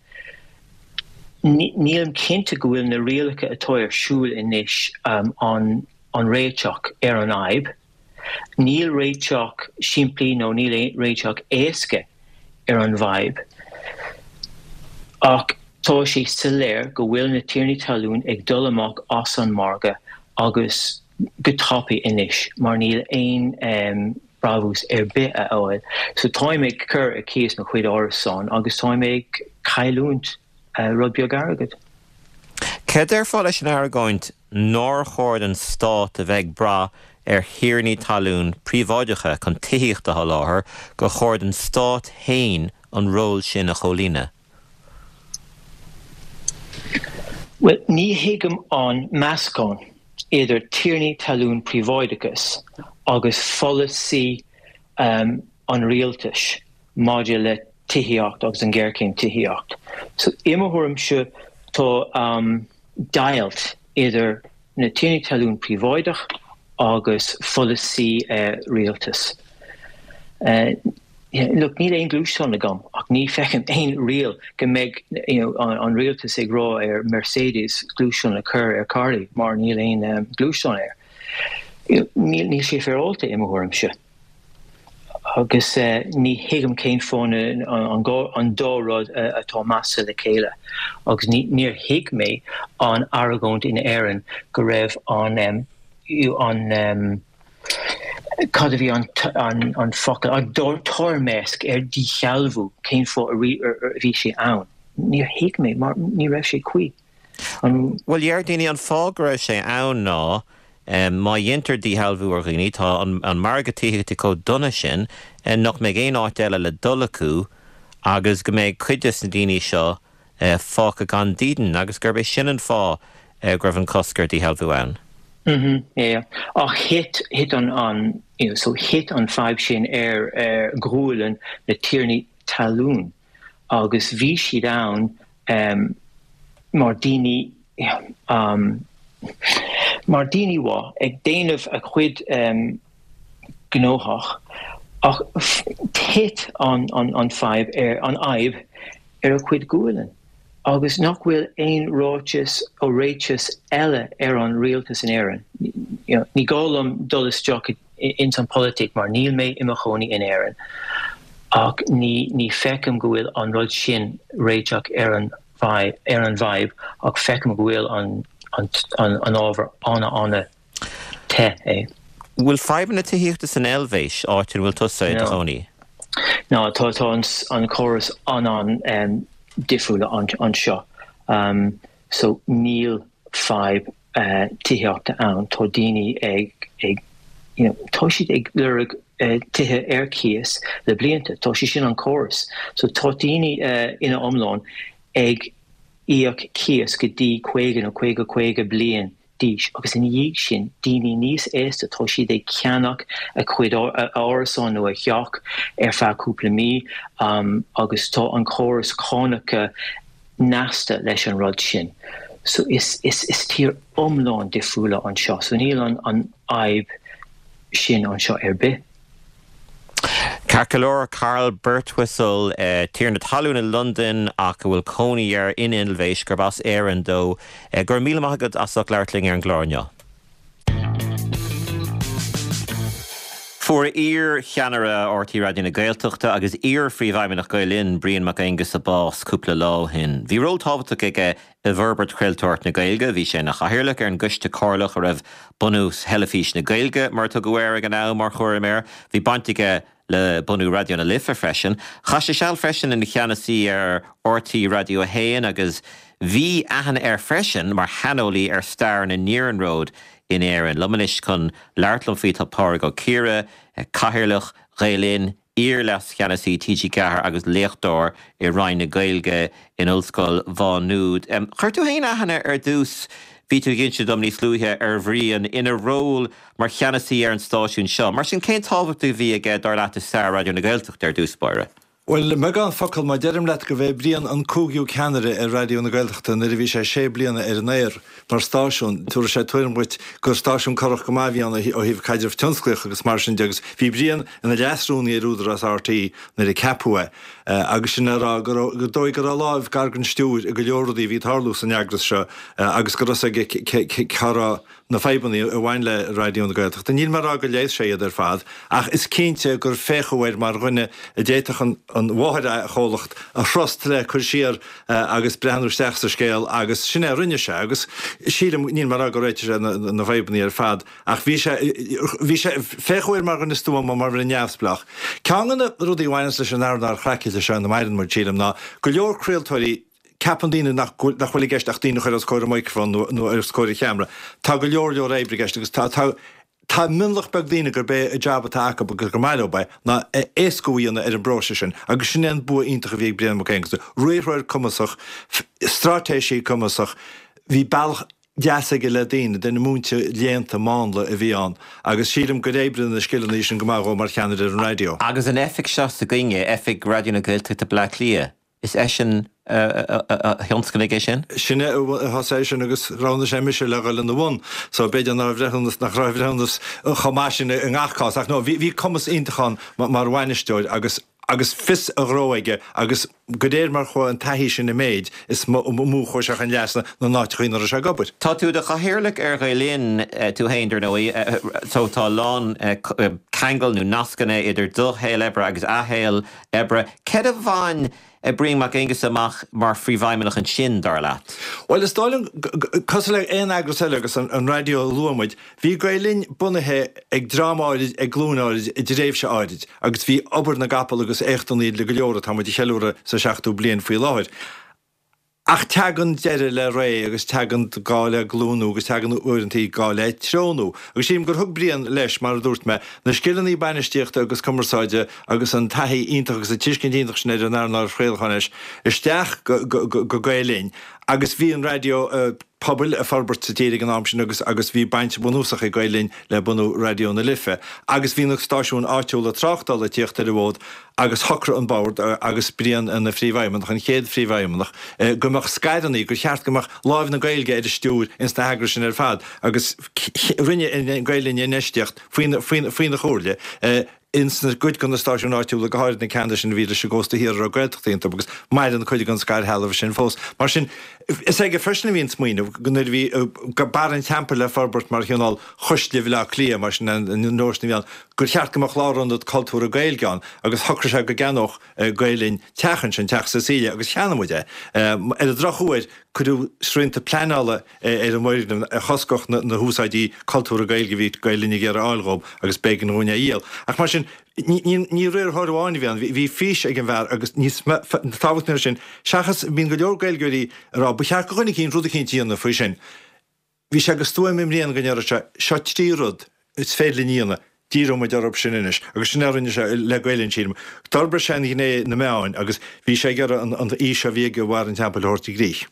Nílim cinnte go bhfuil na rialacha atá ar siúl anois an réiteach ar an fhadhb. Níl réiteach simplí nó níl réiteach éasca ar an bhfadhb. Ach tá sé soiléir go bhfuil na tiarnaí talún ag dul amach as an margadh agus go tapaidh anois mar níl aon brabús ar bith a fháil. So táim ag cur ar cíos mo chuid árasán agus táim ag cailliúint rud beag airgead. Céard a déarfá leis an argóint nár chóir don stát a bheith ag brath ar thiarnaí talún príobháideacha chun tithíocht a sholáthar, gur chóir don stát féin an ról sin a chomhlíonadh? Bhuel, ní thuigim an meascán idir tiarnaí talún príobháideachas agus pholasaí an rialtais maidir le tithíocht agus an ghéarchéim tithíocht. So, i mo thuairimse, tá deighilt idir na tiarnaí talún príobháideach agus pholasaí rialtais. Look, níl aon gluaisteán agam ach ní feicim aon riail go mbeidh you know an rialtas ag rá ar Mercedes gluaisteán a chur ar Charlie mar níl aon gluaisteán air. Níl níl sé féaráilte i mo thuairimse. Agus ní thuigim cén fáth an dá rud atá measctha le chéile. Agus níor thuig mé an argóint in Éirinn go raibh an an cad a bhí an focal, an toirmeasc ar dhíshealbhú, cén fáth a bhí sé ann. Níor thuig mé mar ní raibh sé cuí. An. Bhuel, deir daoine, an fáth go raibh sé ann ná má dhéantar díshealbhú ar dhaoine, tá an margadh tithíochta chomh dona sin nach mbeidh aon áit eile le dul acu agus go mbeidh cuid des na daoine seo fágtha gan dídean agus gurb é sin an fáth go raibh an cosc ar dhíshealbhú ann. Mhm, yeah. Ach thit, thit an, an, you know, so thit an fadhb sin ar, ar ghualainn na tiarnaí talún. agus bhí siad ann mar daoine mar daoine mhaith ag déanamh a chuid gnóthach ach thit an an fadhb ar an fhadhb ar a chuid gualainn agus nach bhfuil aon ráiteas ó réiteas eile ar an rialtas in Éirinn. Ní gá liom dul isteach i ins an pholaitíocht mar níl mé i mo chónaí in Éirinn ach ní ní feicim go bhfuil an rud sin réiteach ar an ar an bhfadhb ach feicim go bhfuil an an an ábhar ana ana te é. Bhfuil fadhbanna tithíochta san Eilvéis, áit ina bhfuil tusa i do chónaí? No, tá tá an an córas an an difriúil anseo. So níl fadhb tithíochta ann, tá daoine ag, ag, you know, tá siad ag lorg tithe ar cíos le blianta, tá sé sin an córas. So tá daoine ina iomlán ag íoc cíos go dtí 50 nó 50, 50 bliain d'aois agus ina dhiaidh sin daoine níos aosta tá siad ag ceannach a chuid árasán nó a theach ar feadh cúpla mí agus tá an córas cánacha nasctha leis an rud sin. So is is is tír iomlán difriúla anseo. So níl an an fhadhb sin anseo ar bith. Ceart go leor, Carl Birtwistle, tiarna talún i Londain ach a bhfuil cónaí air in Eilvéis, gurb as Éirinn dó. Go raibh míle maith agat as ucht labhairt linn ar an gclár inniu. Fuair iar-cheannaire RTÉ Raidió na Gaeltachta agus iar-phríomhfheidhmeannach Gael Linn, Brian Mac Aonghusa bás cúpla lá ó shin. Bhí ról tábhachtach aige i bhforbairt chraoltóireacht na Gaeilge, bhí sé ina chathaoirleach ar an gCoiste Comhairleach a raibh bunú Theilifís na Gaeilge, mar a tugadh air ag an am, mar chúram air. Bhí baint aige le bunú Raidió na Life freisin. Chaith sé seal freisin ina cheannasaí ar RTÉ Raidió 1 agus bhí aithne air freisin mar shaineolaí ar stair na n-iarnród in Éirinn. Liom anois chun labhairt liom faoi tá Pádraig Ó Ciardha, Cathaoirleach Ghael Linn. Iar-Leas-Cheannasaí TG4 agus léachtóir i Roinn na Gaeilge in Ollscoil Mhá Nuad. Chuir tú féin aithne ar dtús, bhí tú ag inse dom níos luaithe, ar Bhrian ina ról mar cheannasaí ar an stáisiún seo. Mar sin, cén tábhacht a bhí aige, dar leat, i stair Raidió na Gaeltachta ar dtús báire? Bhuel, i mbeagán focal, má deirim leat gurbh é Brian an cúigiú ceannaire ar Raidió na Gaeltachta nuair a bhí sé sé bliana ar an aer mar stáisiún, tabharfaidh sé tuairim dhuit gur stáisiún corrach go maith a bhí ann ó thaobh caidreamh tionsclaíoch agus mar sin de agus bhí Brian ina leas-rúnaí ar Údarás RTÉ nuair a ceapadh é agus sin le rá go raibh, gur dóigh go raibh a láimh gar don stiúir i go leor rudaí a bhí ag tarlú san eagras seo agus go raibh a fhios aige cá raibh na fadhbanna a bhain le Raidió na Gaeltachta. Níl mé ag rá gur leigheas sé iad ar fad, ach is cinnte gur féachadh air mar dhuine a d'fhéadfadh an mháthair-chomhlacht a thrust le cur siar agus breathnú isteach sa scéal agus sin é a rinne sé agus sílim, níl mé ag rá gur réitigh sé na fadhbanna ar fad ach bhí sé, bhí sé, féachadh air mar dhuine stuama, mar dhuine neamhspleách. Ceann de na rudaí a bhaineanns leis an earnáil chraicéailte seo ina maireann muid, sílim, ná go leor craoltóirí, Ceapann daoine nach bhfuil i gceist ach daoine a chur os comhair an mhicreafóin nó os comhair an cheamara. Tá go leor leor oibre i gceist agus tá tá tá mionlach beag daoine gurb é an jab atá acu agus gur maith leo é ná éascú a dhéanamh ar an bpróiseas sin agus sin é an bua iontach a bhí ag Brian Mac Aonghusa. Riarthóir cumasach, straitéisí cumasach, bhí bealach deas aige le daoine, duine múinte léannta mánla a bhí ann agus sílim gur oibrigh na scileanna sin go maith dhó mar cheannaire ar an raidió. Agus an oifig seo s'againne, oifig Raidió na Gaeltachta Bleá Cliath, Is eisean a thionscnaigh é sin. Sin é a thosaigh é sin agus roghnaigh sé mise le dhul ina bhun. So b'fhéidir ná raibh a bhreithiúnas, nach raibh a bhreithiúnas chomh maith sin i ngach cás. Ach no, bhí, bhí cumas iontach ann mar bhainisteoir agus, agus fios a ghnó aige agus de réir mar chuaigh an taithí sin i méid, is mó a chuaigh sé chun leasa na n-áiteachaí ina raibh sé ag obair. Tá tú i do chathaoirleach ar Ghael Linn tú féin, dar ndóigh, so tá a lán ceangal nó nascanna idir do shaol oibre agus a shaol oibre. Céard a bhain Brian Mac Aonghusa amach mar phríomhfheidhmeannach ansin, dar leat? Bhuel, is dóigh liom, cosúil le aon eagras eile agus an raidió a luaigh muid, bhí Gael Linn bunaithe ag dream áirid, ag glúin áirid, i dtréimhse áirid agus bhí obair na gcapall agus éachtanna le go leor atá muid a cheiliúradh sa seachtú bliain faoi láthair. Ach teagann deireadh le ré agus teagann gá le glúnú agus teagann uaireantaí gá le treonú. Agus sílim gur thug Brian leis, mar a dúirt mé, na scileanna bainistíochta agus cumarsáide agus an taithí iontach agus an tuiscint iontach sin ar an earnáil chraolacháin leis isteach go Gael Linn agus bhí an raidió pobail ag forbairt sa tír ag an am sin agus agus bhí baint bhunúsach ag Gael Linn le bunú Raidió na Life agus bhí na stáisiúin áitiúla tráchtála ag tíocht ar an bhfód agus shocraigh an Bord agus Brian ina phríomhfheidhmeannach, an chéad phríomhfheidhmeannach, go mbeadh scaireanna, gur cheart go mbeadh láimh na Gaeilge ar an stiúir ins na heagrais sin ar fad agus rinne Gael Linn infheistíocht faoina faoina chomhairle ins na gcuid de na stáisiúin áitiúla, go háirid na ceanna sin a bhí leis an gcósta thiar a raibh Gaeltachtaí iontu, agus maireann cuid den scairthrealamh sin fós. Mar sin, is aige freisin a bhí an smaoineamh, nuair a bhí Barra an Teampaill le forbairt mar chineál Chuisle Bhaile Átha Cliath, mar sin an nóisean a bhí ann, gur cheart go mbeadh lárionad cultúrtha Gaeilge ann, agus shocraigh sé go gceannódh Gael Linn teach ansin, Teach Cecilia, agus cheannaigh muid é. Ar an drochuair, cuireadh srianta pleanála ar an bhfoirgneamh a choscódh na húsáidí cultúrtha Gaeilge a bhí Gael Linn ag iarraidh a fháil dhób agus b'éigean dhúinn é a dhíol. Ach mar sin, ní riarthóir amháin a bhí ann, bhí fís ag an bhfear agus níos tábhachtaí ná sin, seachas, bíonn go leor Gaeilgeoirí ag rá, ba cheart do dhuine eicínt rud eicínt a dhéanamh faoi sin. Bhí sé go stuaim i mBrian go ndéarfadh sé, seo 3 rud is féidir linn a dhéanamh, díreoidh muid orthu sin anois. Agus sin é a rinne sé le Gael Linn, sílim. D'fhorbair sé an ghné na meáin agus bhí sé ag iarraidh an fhís a bhí aige i mBarra an Teampaill a thabhairt i gcrích.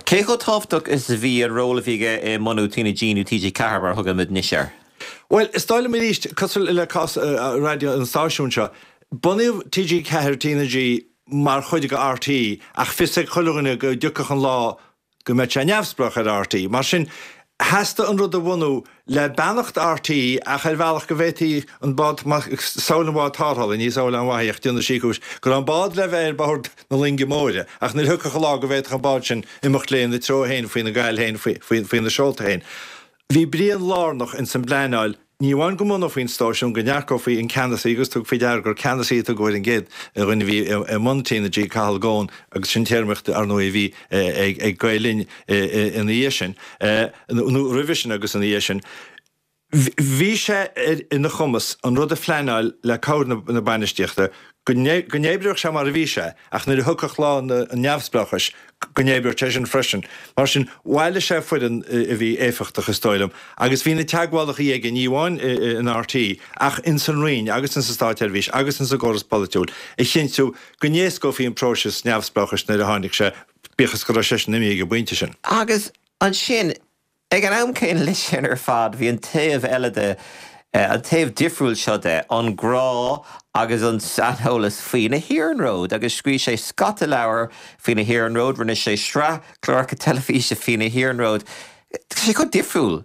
Cé chomh tábhachtach is a bhí an ról a bhí aige i mbunú TnaG nó TG4 mar a thugann muid anois air? Bhuel, is dóigh liom arís, cosúil le cás raidió an stáisiúin seo, bunaíodh TG4, TnaG mar chuid de RTÉ ach fios ag chuile dhuine go dtiocfadh an lá go mbeadh sé neamhspleách ar RTÉ. Mar sin, theastaigh an rud a bhunú le beannacht RTÉ ach ar bhealach go bhféadfaí an bád, samhail an bhád tarrthála, ní samhail an-mhaith í ach déanadh sí cúis, go raibh an bád le bheith ar bord na loinge móire ach nuair a thiocfadh an lá go bhféadfadh an bád sin imeacht léi ina treo féin faoina gail féin, faoina seolta féin. Bhí Brian lárnach ins an bpleanáil, ní amháin go mbunófaí an stáisiún, go n-earcófaí an ceannasaí agus tabhair faoi deara gur ceannasaí a tugadh ar an gcéad dhuine a bhí i mbun TnaG, Cathal Goan, agus sin téarmaíocht, ar ndóigh, a bhí ag Gael Linn ina dhiaidh sin, nó roimhe sin agus ina dhiaidh sin. Bhí sé ar ina chumas an rud a phleanáil le cabhair na bainistíochta. go n-oibreodh sé mar a bhí sé ach nuair a thiocfadh lá an neamhspleáchais go n-oibreodh sé sin freisin. Mar sin, bhailigh sé foireann a bhí éifeachtach, is dóigh liom, agus bhí na teagmhálacha aige, ní amháin in RTÉ ach ins an Roinn agus ins an Státsheirbhís agus ins an gcóras polaitiúil, a chinntiú go n-éascófaí an próiseas neamhspleáchais nuair a tháinig sé, bíodh is go raibh seisean imithe ag an bpointe sin. Agus ansin, Ag an am céanna leis sin ar fad, bhí an taobh eile de, an taobh difriúil seo de, an grá agus an saineolas faoi na hiarnróid agus scríobh sé scata leabhar faoi na hiarnróid, rinne sé sraith cláracha teilifíse faoi na hiarnróid. Tá sé chomh difriúil.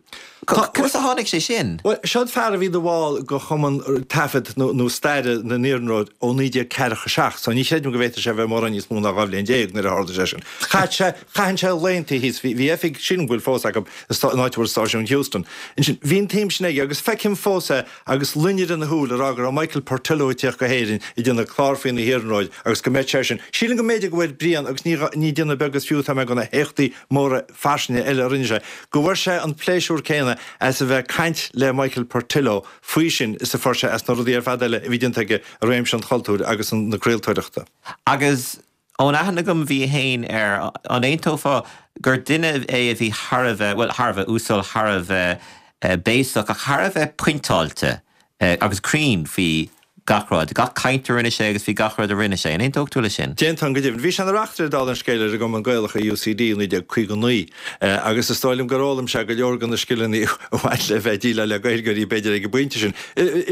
Conas a tháinig sé sin? Bhuel, seo fear a bhí ina bhall de Chumann Taifead nó Staire na nIarnród ó 1947, so ní chreidim go bhféadfadh sé a bheith mórán níos mó ná 12 bhliain nuair a tharla sé sin. Chaith sé Chaitheann sé laethanta thíos, bhí oifig, sílim go bhfuil fós acu, in áit a bhfuil stáisiún Heuston. Ansin, bhí an tsuim sin aige agus feicim fós é agus loinnir ina shúil ag rá go raibh Michael Portillo ag tíocht go hÉirinn ag déanamh clár faoi na hiarnróid agus go mbeadh sé sin. Sílim go mb'fhéidir go bhfuair Brian, agus ní, ní déanamh beag is fiú atá mé de na héachtaí móra fairsinge eile a rinne sé, go bhfuair sé an pléisiúr céanna as a bheith ag caint le Michael Portillo faoi sin is a fuair sé as na rudaí ar fad eile a bhí déanta aige i réimse an chultúir agus na craoltóireachta. Agus Ón aithne agam bhí féin air, an aontófá gur duine é a bhí thar a bheith, bhuel, thar a bheith uasal, thar a bheith béasach, ach thar a bheith pointeáilte agus cruinn faoi gach rud, gach caint a rinne sé agus faoi gach rud a rinne sé. An aontódh tú leis sin? D'aontóinn go deimhin. Bhí sé ina reachtaire, dála an scéil, ar an gCumann Gaelach i UCD i 1959 agus is dóigh liom gur fhoghlaim sé go leor de na scileanna a bhain le bheith ag déileáil le Gaeilgeoirí, b'fhéidir, ag an bpointe sin.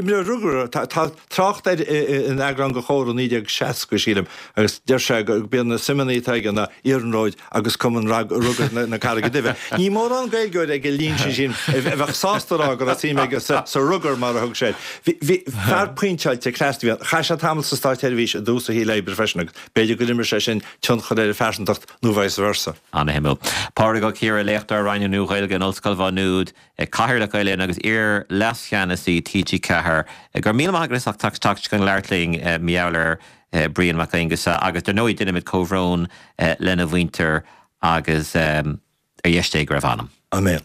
Imreoir rugair, tá. Trácht air in eagrán de Chomhar i 1960, sílim, agus deir sé gurb iad na suimeanna atá aige ná iarnróid agus Cumann Rugair na Carraige Duibhe. Ní mórán Gaeilgeoir ag an líon sin, sílim, a bheadh sásta a rá go raibh suim aige sa rugar, mar a thug sé air. Bhí fear pointeáilte cneasta a bhí ann. Chaith sé tamall sa státseirbhís i dtús a shaoil oibre freisin agus b'fhéidir gur imir sé sin tionchar ar a phearsantacht nó vice versa. Ana-shuimiúil. Pádraig Ó Ciardha, léachtóir Roinn na Nua-Ghaeilge in Ollscoil Mhá Nuad. Cathaoirleach Gael Linn agus iar-leascheannasaí TG4. Go raibh míle maith agat as ucht teacht chun labhairt linn mar gheall ar Brian Mac Aonghusa agus dar ndóigh déanaimid comhbhrón lena mhuintir agus ar dheis Dé go raibh a anam. Amen.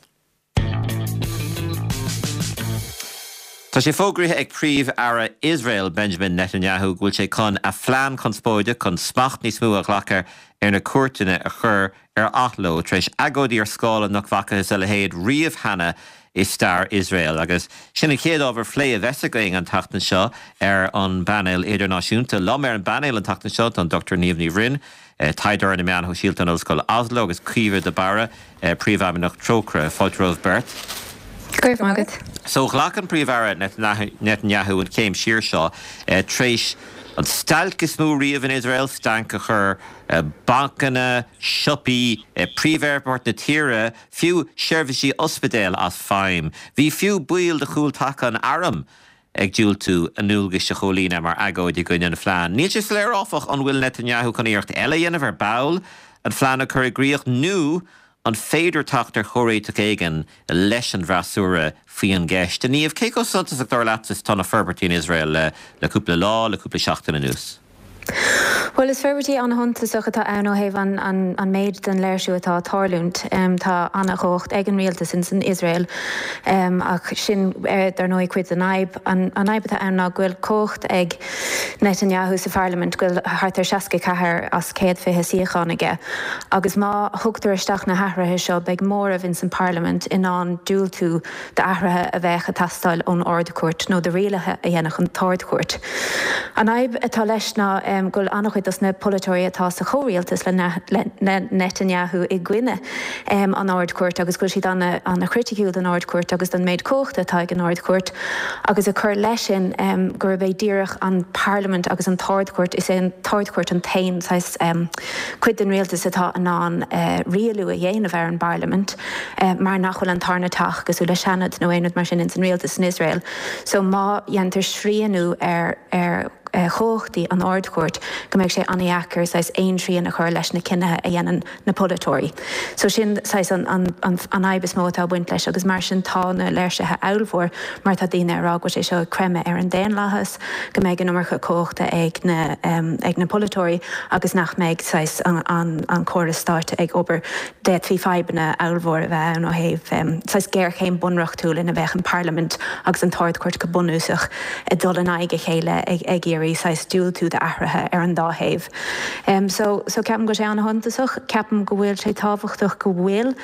Tá sé fógraithe ag Príomh-Aire Iosrael Benjamin Netanyahu go bhfuil sé chun a phlean conspóideach chun smacht níos mó a ghlacadh ar na cúirteanna a chur ar athló tar éis agóidí ar scála nach bhfacthas a leithéid riamh cheana i stair Iosrael. Agus sin an chéad ábhar phlé a bheas againn an tseachtain seo ar an bpainéal idirnáisiúnta. Liom ar an bpainéal an tseachtain seo tá an Dr Niamh Ní Bhroin, taighdeoir ar na meáin shóisialta in Ollscoil Oslo agus Caoimhe de Barra, Príomhfheidhmeannach Trócaire. Fáilte romhaibh beirt. Go raibh maith agat. So ghlac an Príomh-Aire Netanyahu an chéim siar seo tar éis an stailc is mó riamh in Iosrael, stailc a chuir bancanna, siopaí, príomh-aerfort na tíre, fiú seirbhísí ospidéil as feidhm. Bhí fiú baill de chúltaca an airm ag diúltú a ndualgais a chomhlíonadh mar agóid i gcoinne an phlean. Níl sé soiléir, áfach, an bhfuil Netanyahu chun iarracht eile a dhéanamh ar ball an phlean a chur i gcrích nó an féidir teacht ar chomhréiteach éigin leis an bhfreasúra faoi an gceist. A Niamh, cé chomh suntasach dar leatsa is atá na forbairtí in Iosrael le cúpla lá, le cúpla seachtain anuas? Bhuel, is forbairtí an-shuntasach atá ann ó thaobh an méid den léirsiú atá ag tarlúint. Tá an-chumhacht ag an rialtas in san Iosrael ach sin, dar ndóigh, cuid den fhadhb. An fhadhb atá ann ná go bhfuil cumhacht ag Netanyahu sa pharlaimint, go bhfuil thart ar 64 as 120 suíochán aige agus má thugtar isteach na hathruithe seo beidh móramh in san bparlaimint in ann diúltú d'athruithe a bheadh ag teastáil ón Ard-Chúirt nó do rialuithe a dhéanfadh an tArd-Chúirt. An fhadhb atá leis ná go bhfuil an-chuid dos na polaiteoirí atá sa chomhrialtas le Netanyahu i gcoinne an Ard-Chúirt agus go bhfuil siad an-chriticiúil don Ard-Chúirt agus don méid cumhachta atá ag an Ard-Chúirt agus ag cur leis sin gurb é díreach an Pharlaimint agus an tArd-Chúirt, is é an tArd-Chúirt an t-aon saghas cuid den rialtas atá in ann rialú a dhéanamh ar an bParlaimint. mar nach bhfuil an tarna teach cosúil le Seanad nó aon rud mar sin ins an rialtas in Iosrael. So má dhéantar srianú ar ar chumhachtaí an Ard-Chúirt go mbeidh sé an-dheacair saghas aon srian a chur leis na cinnithe a dhéanann na polaiteoirí. So sin saghas an an an fhadhb is mó atá ag baint leis agus mar sin tá na léirsithe ollmhór mar tá daoine ag rá go bhfuil sé seo ag creimeadh ar an daonlathas, go mbeidh an iomarca cumhachta ag na ag na polaiteoirí agus nach mbeidh saghas an an an córas stáit ag obair. D'fhéadfaí fadhbanna ollmhór a bheith ann ó thaobh saghas géarchéim bunreachtúil ina mbeadh an Parlaimint agus an tArd-Chúirt go bunúsach ag dul in aghaidh a chéile ag iarraidh. iarraidh saghas diúltú d'athruithe ar an dá thaobh. So, so ceapaim go bhfuil sé an-shuntasach, ceapaim go bhfuil sé tábhachtach go bhfuil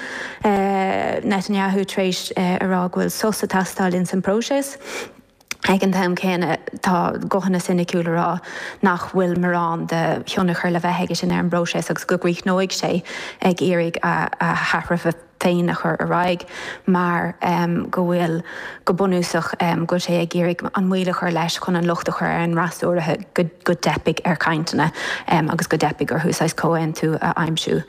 Netanyahu tar éis a rá go bhfuil sos ag teastáil ins an bpróiseas. Ag an t-am céanna, tá guthanna soiniciúla ag rá nach bhfuil morán de thionchar le bheith aige sin ar an bpróiseas agus go gcríochnóidh sé ag iarraidh a hathruithe féin a chur ar aghaidh mar go bhfuil, go bunúsach, go bhfuil sé ag iarraidh an moill a chur leis chun an locht a chur ar an fhreasúra go dteipfidh ar chainteanna agus go dteipfidh orthu saghas comhaontú a aimsiú.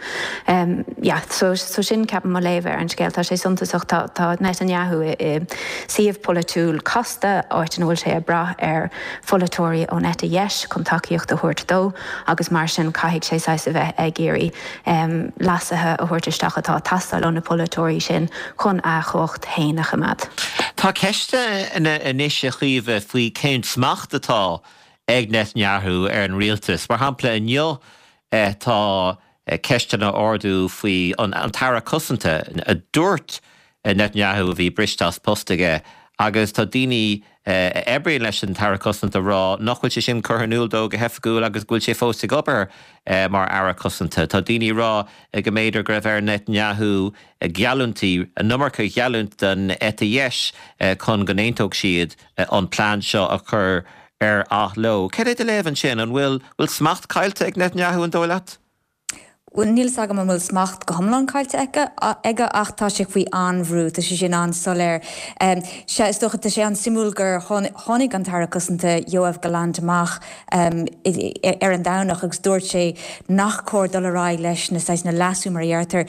Yeah, so so sin ceapaim mo léamh ar an scéal. Tá sé suntasach, tá tá Netanyahu i suíomh polaitiúil casta, áit ina bhfuil sé ag brath ar pholaiteoirí ón eite dheis chun tacaíocht a thabhairt dó agus mar sin caithfidh sé saghas a bheith ag iarraidh leasuithe a thabhairt isteach atá ag teastáil ó na polaiteoirí sin chun a chumhacht féin a choimeád. Tá ceisteanna anois, a Chaoimhe, faoi cén smacht atá ag Netanyahu ar an rialtas. Mar shampla, inniu tá ceisteanna á ardú faoi an tAire Cosanta a dúirt Netanyahu a bhí briste as post aige agus tá daoine a oibríonn leis an tAire Cosanta ag rá nach bhfuil sé sin curtha in iúl dó go hoifigiúil agus go bhfuil sé fós ag obair mar Aire Cosanta. Tá daoine ag rá go mb'fhéidir go raibh ar Netanyahu geallúintí, an iomarca a gheallúint don eite dheis chun go n-aontódh siad an plean seo a chur ar athló. Cad é do léamh ansin? An bhfuil smacht caillte ag Netanyahu, an dóigh leat? Bhuel, níl 'fhios agam an bhfuil smacht go hiomlán caillte aige ach tá sé faoi an-bhrú, tá sé sin an-soiléir. Sea, is dócha, tá sé an-suimiúil gur tháinig an tAire Cosanta Yoav Gallant amach ar an Domhnach agus dúirt sé nach cóir dul ar aghaidh leis na saghas, na leasú mar a dheirtear.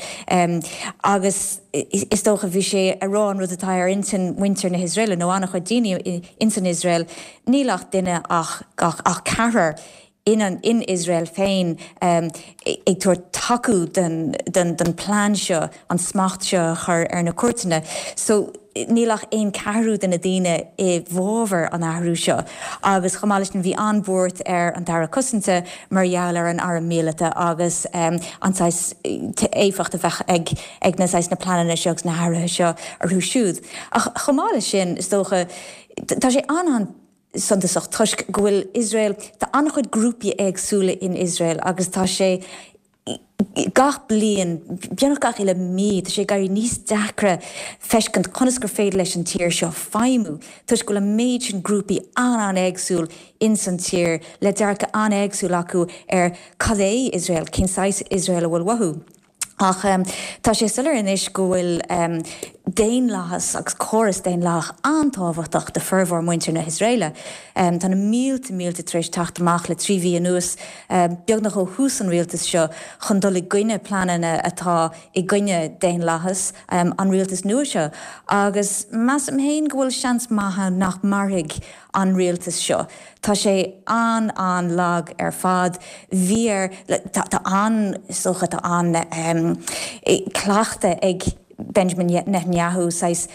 Agus is dócha, bhí sé ag rá an rud atá ar intinn muintir na hIosraeile nó an-chuid daoine ins an Iosrael, níl ach duine ach ceathrar in in Iosrael féin ag tabhairt tacú don don plean seo an smacht seo a chur ar na cúirteanna. So níl ach aon ceathrú de na daoine i bhfabhar an athrú seo. Agus chomh maith leis sin bhí an-bhuairt ar an tAire Cosanta mar gheall ar an arm míleata agus an saghas éifeacht a bheadh ag ag na saghas na pleananna seo agus na hathruithe seo orthu siúd. Ach chomh maith leis sin is dócha tá sé an-an suntasach toisc go bhfuil Iosrael, tá an-chuid grúpaí éagsúla in Iosrael agus tá sé gach bliain, beagnach gach uile mí, tá sé ag éirí níos deacra feiscint conas gur féidir leis an tír seo feidhmiú toisc go bhfuil an méid sin grúpaí an-an-éagsúil ins an tír le dearcadh an-éagsúil acu ar cad é Iosrael, cén saghas Iosrael a bhfuil uathu. Ach tá sé soiléir anois go bhfuil daonlathas agus córas daonlathach an-tábhachtach do formhór muintir na hIosraeile. Tá na mílte mílte tar éis teacht amach le 3 mhí anuas, beagnach ó thús an rialtais seo, chun dul i gcoinne pleananna atá i gcoinne daonlathas an rialtais nua seo. Agus measaim féin go bhfuil seans maith ann nach mairfidh an rialtas seo. Tá sé an-an-lag ar fad. Bhí air, tá an, is dócha, tá an cleachtadh ag Benjamin Netanyahu saghas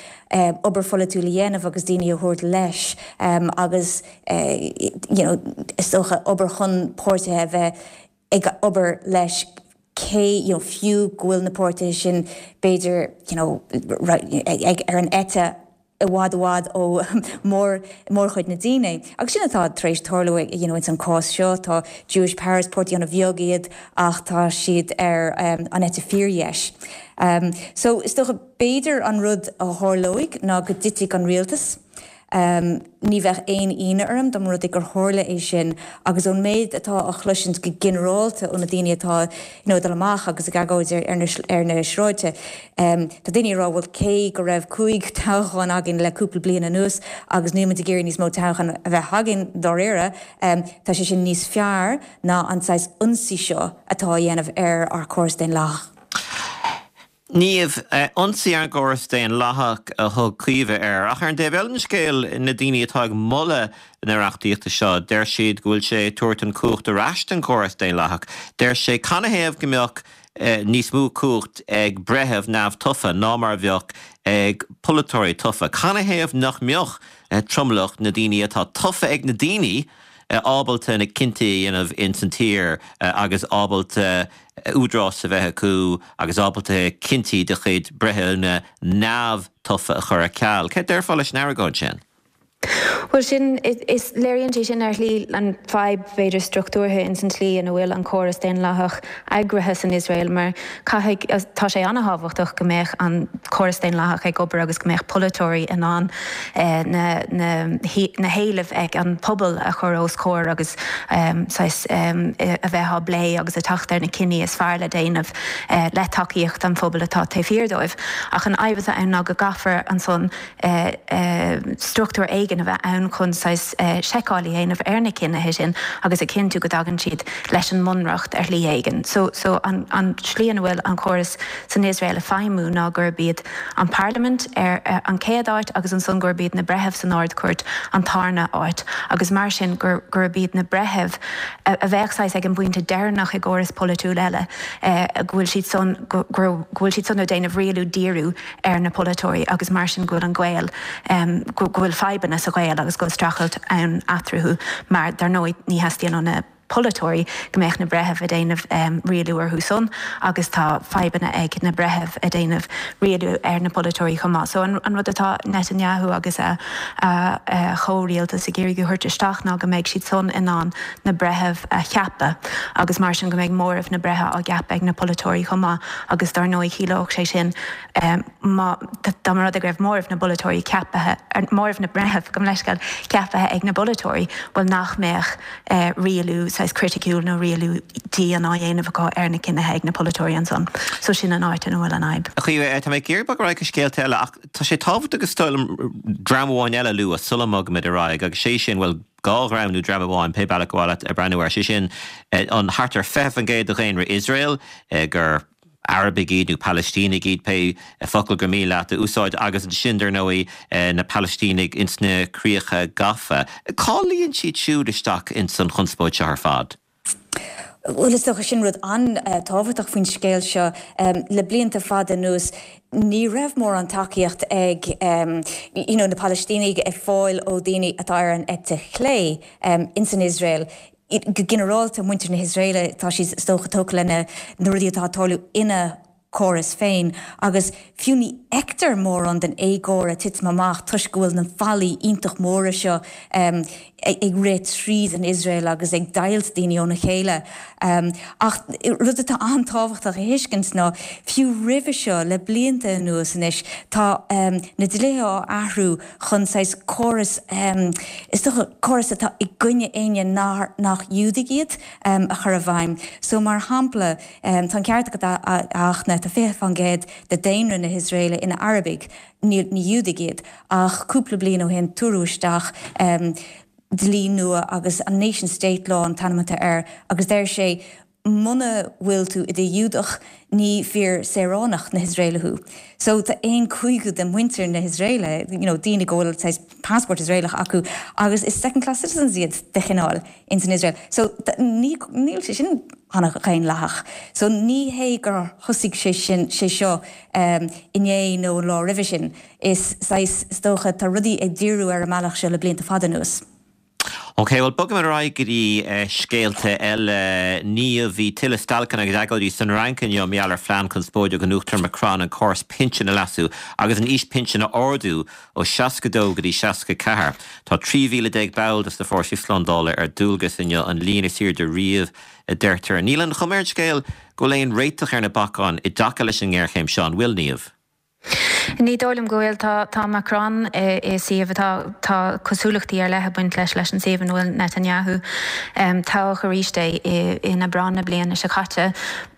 obair pholaitiúil a dhéanamh agus daoine a thabhairt leis agus you know is dócha obair chun páirtithe a bheith ag obair leis cé you know fiú go bhfuil na páirtithe sin b'fhéidir you know ag ar an eite i bhfad i bhfad ó mór mórchuid na daoine. Agus sin atá tar éis tarlú you know ins an cás seo. Tá Jewish Power, is páirtí ana bheag iad ach tá siad ar an eite fíordheis. So is dócha b'fhéidir an rud a tharlóidh ná go dtitfidh an rialtas. Ní bheadh aon ionadh orm dá mba rud é gur tharla é sin agus ón méid atá á chloisint go ginearálta ó na daoine atá you know ag dul amach agus ag agóid ar na ar na sráide, Tá daoine ag rá, bhuel, cé go raibh 5 toghchán againn le cúpla bliain anuas agus níl muid ag iarraidh níos mó toghchán a bheith againn, dáiríre, tá sé sin níos fearr ná an saghas ionsaí seo atá á dhéanamh ar ár córas daonlathach. Niamh, ionsaí ar an gcóras daonlathach a thug Caoimhe air. Ach ar an dtaobh eile den scéal, na daoine atá ag moladh na reachtaíochta seo, deir siad go bhfuil sé ag tabhairt an cumhacht ar ais don chóras daonlathach. Deir sé, canathaobh go mbeadh níos mó cumhacht ag breitheamh neamhtofa ná mar a bheadh ag polaiteoirí tofa. Canathaobh nach mbeadh tromlach na daoine atá tofa ag na daoine ábalta na cinntí a dhéanamh ins an tír agus ábalta údarás a bheith acu agus ábalta cinntí de chuid breithiúna neamhtofa a chur ar ceal? Céard déarfá leis an argóint sin? Bhuel, sin, is, léiríonn sé sin ar shlí an fadhb, b'fhéidir, struchtúrtha ins an tslí ina bhfuil an córas daonlathach eagraithe san Iosrael mar caithfidh, tá sé an-thábhachtach go mbeadh an córas daonlathach ag obair agus go mbeadh polaiteoirí in ann na, na, na héilimh ag an pobal a chur os comhair agus saghas a bheith á bplé agus ag teacht ar na cinní is fearr le déanamh le tacaíocht an phobail atá taobh thiar dóibh. Ach an fhadhb atá ann ná go gcaithfear ansan struchtúr éigin a bheith ann chun saghas seiceáil a dhéanamh ar na cinnithe sin agus a chinntiú go dtagann siad leis an mbunreacht ar shlí éigin. So, so an, an tslí ina bhfuil an córas san Iosrael ag feidhmiú ná gurb iad an parlaimint ar an chéad áit agus ansan gurb iad na breithimh san Ard-Chúirt an tarna áit agus mar sin gur, gurb iad na breithimh a, a bheadh saghas ag an bpointe deireanach i gcóras polaitiúil eile go bhfuil siad san, go, go bhfuil siad san ag déanamh rialú díriú ar na polaiteoirí agus mar sin go bhfuil an gaol, go bhfuil fadhbanna sa ghaol agus go bhfuil streachailt ann eatarthu mar dar ndóigh ní theastaíonn ó na polaiteoirí go mbeadh na breithimh ag déanamh rialú orthu san agus tá fadhbanna ag na breithimh ag déanamh rialú ar na polaiteoirí chomh maith. So an rud atá Netanyahu agus a chomhrialtas ag iarraidh a thabhairt isteach ná go mbeidh siad san in ann na breithimh a cheapadh agus mar sin go mbeidh móramh na mbreitheamh á gceapadh ag na polaiteoirí chomh maith agus dar ndóigh chiallódh sé sin má dá mba rud é go raibh móramh na bpolaiteoirí ceaptha, móramh na mbreitheamh, gabh mo leithscéal, ceaptha ag na bpolaiteoirí, bhuel nach mbeadh rialú saghas criticiúil nó rialú dian á dhéanamh acu ar na cinnithe ag na polaiteoirí ansan. So sin an áit ina bhfuil an fhadhb. A Chaoimhe, tá mé ag iarraidh bogadh ar aghaidh go scéalta eile ach tá sé tábhachtach is dóigh liom dream amháin eile a lua sula mbogaimid ar aghaidh agus sé sin, bhuel, 2 dhream nó dream amháin, pé bealach ar mhaith leat breathnú air, sé sin an thart ar 20% de dhaonra Iosrael gur Arabaigh iad nó Palaistínigh iad, pé focal gur mian leat a úsáid, agus ansin, dar ndóigh, na Palaistínigh ins na críocha gafa. Cá luíonn siad siúd isteach ins an chonspóid seo ar fad? Bhuel, is dócha sin rud an-tábhachtach faoin scéal seo. Le blianta fada anuas, ní raibh mórán tacaíocht ag you know na Palaistínigh ag fáil ó daoine atá ar an eite chlé ins an Iosrael. Go ginearálta, muintir na hIosraeile, tá siad is dócha tógtha le na rudaí atá ag tarlú ina córas féin agus fiú ní fheictear mórán den éagóir ag titim amach toisc go bhfuil na fallaí iontach móra seo ag rith tríd an Iosrael agus ag deighilt daoine óna chéile. Ach rud atá an-tábhachtach a thuiscint ná fiú roimhe seo, le blianta anuas anois, tá na dlíthe á athrú chun saghas córas, is dócha córas atá i gcoinne éinne nach Iúdaigh iad, a chur i bhfeidhm. So mar shampla, Tá an ceart agat a Fhachtna, tá 20% de daonra na hIosraeile ina Arabaigh, ní Iúdaigh iad, ach cúpla bliain ó shin tabhaireadh isteach dlí nua agus an Nation State Law an t-ainm atá air agus deir sé muna bhfuil tú i do Ghiúdach ní fíor saoránach na hIosraeile thú. So tá aon cúigiú de mhuintir na hIosraeile, you know, daoine go bhfuil saghas passport Iosraelach acu agus is second class citizens iad de chineál ins an Iosrael. So ní, níl sé sin an-dhaonlathach. So ní hé gur thosaigh sé sin, sé seo inné nó an lá roimhe sin. Is saghas, is dócha, tá rudaí ag díriú ar an mbealach seo le blianta fada anuas. Ok, bhuel bogfaimid ar aghaidh go dtí scéalta eile. Niamh, bhí tuilleadh stailceanna agus agóidí san Fhrainc inniu mar gheall ar phlean conspóideach an Uachtaráin Macron an córas pinsin a leasú agus an aois pinsin a ardú ó 62 go dtí 64. Tá 13,000 ball de na fórsaí slándála ar dualgas inniu, an líon is airde riamh, a deirtear. Níl an chuma ar an scéal go bhfuil aon réiteach ar na bacáin i dtaca leis an ngéarchéim seo, an bhfuil, Niamh? Ní dóigh liom go bhfuil. Tá tá Macron i suíomh atá tá cosúlachtaí ar leith ag baint leis leis an suíomh ina bhfuil Netanyahu. Toghadh arís é in Aibreán na bliana seo caite.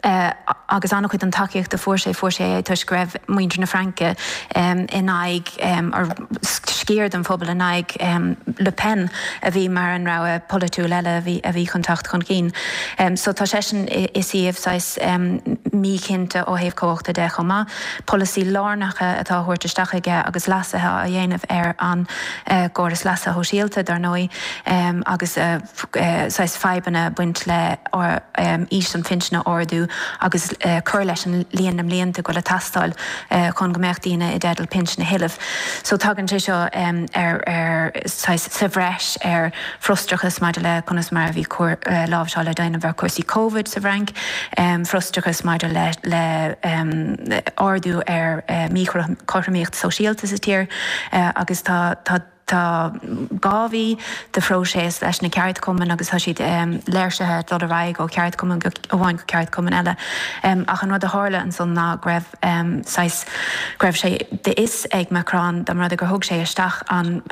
Agus an-chuid den tacaíocht a fuair sé, fuair sé é toisc go raibh muintir na Fraince in aghaidh, or sciar den phobal in aghaidh Le Pen a bhí mar an rogha polaitiúil eile a bhí a bhí chun teacht chun cinn. So tá seisean i suíomh saghas míchinnte ó thaobh cumhachta de chomh maith. Polasaí lárnacha atá á thabhairt isteach aige agus leasuithe á dhéanamh ar an gcóras leasa shóisialta, dar ndóigh, agus. saghas fadhbanna ag baint le aois an phinsin a ardú agus cur leis an líon na mblianta go bhfuil ag teastáil chun go mbeadh daoine i dteideal pinsean a thuilleamh. So tagann sé seo ar ar saghas sa bhreis ar frustrachas maidir le conas mar a bhí láimhseáil á déanamh ar chúrsaí Covid sa bhFrainc, frustrachas maidir le le ardú ar míchothromaíocht sóisialta sa tír agus tá tá. Tá 2 mhí de phróiseas leis na ceardchumainn agus tá siad léirsithe ag dul ar aghaidh ó cheardchumann amháin go ceardchumann eile. Ach an rud a tharla ansan ná go raibh saghas, go raibh sé d'fhios ag Macron dá mba rud é gur thug sé isteach an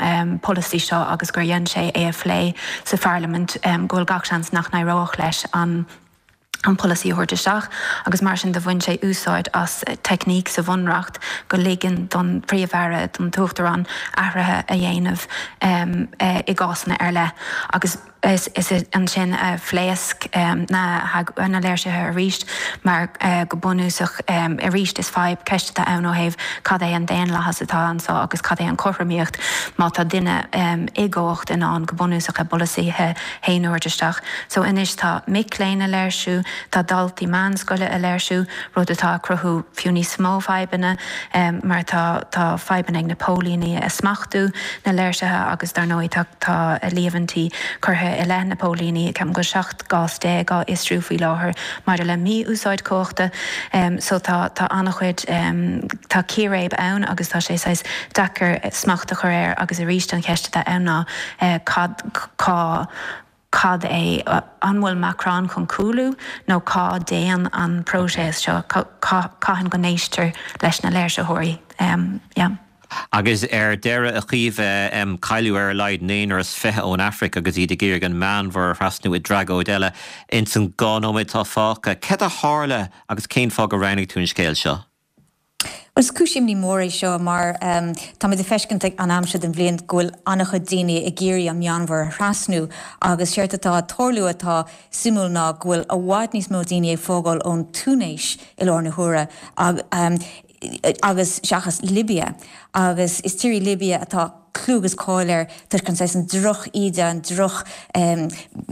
polasaí seo agus gur dhein sé é a phlé sa pharlaimint go bhfuil gach seans nach n-éireodh leis an an polasaí a thabhairt isteach agus mar sin de bhain sé úsáid as teicníc sa bhunreacht go ligeann don Phríomh-Aire, don tUachtarán athruithe a dhéanamh i gcásanna ar leith agus is ansin a phléasc na léirsithe arís mar go bunúsach arís is fadhb, ceist atá ann ó thaobh cad é an daonlathas atá anseo agus cad é an chothromaíocht má tá duine i gcumhacht in ann go bunúsach a bpolasaithe fhéin a thabhairt isteach. So anois tá mic léinn a léirsiú, tá daltaí meánscoile a léirsiú, rud atá ag cruthú fiú níos mó fadhbanna mar tá tá fadhbanna ag na póilíní a smachtú na léirsithe agus dar ndóigh tá tá líomhaintí curtha i leith na póilíní, ceapaim go bhfuil 17 gcás á fhiosrú faoi láthair maidir le mí-úsáid cumhachta. So tá tá an-chuid tá círéib ann agus tá sé saghas deacair smacht a chur air agus arís an cheist atá ann ná cad cá cad é, an bhfuil Macron chun cúlú nó cá dtéann an próiseas seo, cathain go n-éistear leis na léirsitheoirí? Yeah. Agus ar deireadh, a Chaoimhe, cailleadh ar a laghad naonúr is 20 ón Afraic agus iad ag iarraidh an Meánmhuir a thrasnú i dtragóid eile. Ins an 2 nóiméad atá fágtha, céard a tharla agus cén fáth gur roghnaigh tú an scéal seo? Bhuel, is cúis imní mór é seo mar táimid ag feiscint ag an am seo den bhliain go bhfuil an-chuid daoine ag iarraidh an Meánmhuir a thrasnú agus séard atá ag tarlú atá suimiúil ná go bhfuil i bhfad níos mó daoine ag fágáil ón Túinéis i láthair na huaire agus seachas Libia agus is tír í Libia atá clú agus cáil air toisc an saghas an droch-íde, an droch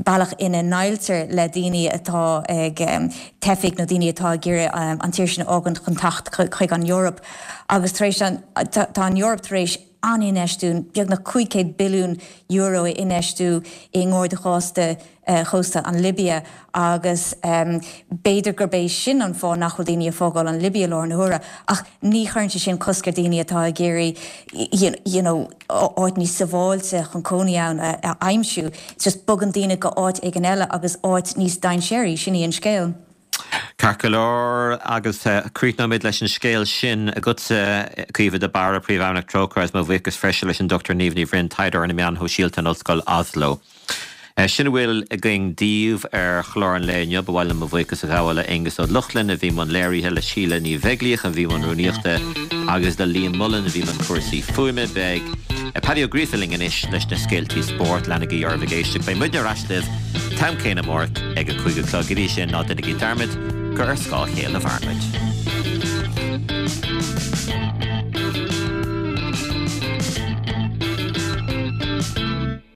bealach ina ndéileáiltear le daoine atá ag teifigh nó daoine atá ag iarraidh an tír sin a fhágaint chun teacht chuig an Eoraip. Agus tar éis an, tá an Eoraip tar éis an-infheistiú, beagnach €500 billiún a infheistiú i nGarda Chósta chósta an Libia agus b'fhéidir gurb é sin an fáth nach bhfuil daoine ag fágáil an Libia i láthair na huaire ach ní chuireann sé sin cosc ar daoine atá ag iarraidh you know áit níos sábháilte chun cónaí ann a aimsiú. It's just bogann daoine go áit éigin eile agus áit níos dainséaraí, sin í an scéal. Ceart go leor, agus críochnóimid leis an scéal sin agatsa, Caoimhe de Barra, Príomhfheidhmeannach Trócaire, agus mo bhuíochas freisin leis an Dr Niamh Ní Bhroin, taighdeoir ar na meáin shóisialta in Ollscoil Oslo. Sin a bhfuil againn daoibh ar chlár an lae inniu. Ba mhaith liom mo bhuíochas a ghabháil le Aonghus Ó Lochlainn a bhí i mbun léirithe, le Síle Ní Bheaglaoich a bhí i mbun rúnaíochta agus le Liam Mullen a bhí i mbun cúrsaí fuaime. Beidh Paddy Ó Gríofa linn anois leis na scéaltaí spóirt. Leanaigí oraibh ag éisteacht. Beidh muidne ar ais libh an t-am céanna amárach ag a 5 a chlog. Go dtí sin, ná déanaigí dearmad gur ar scáth a chéile a mhaireann muid.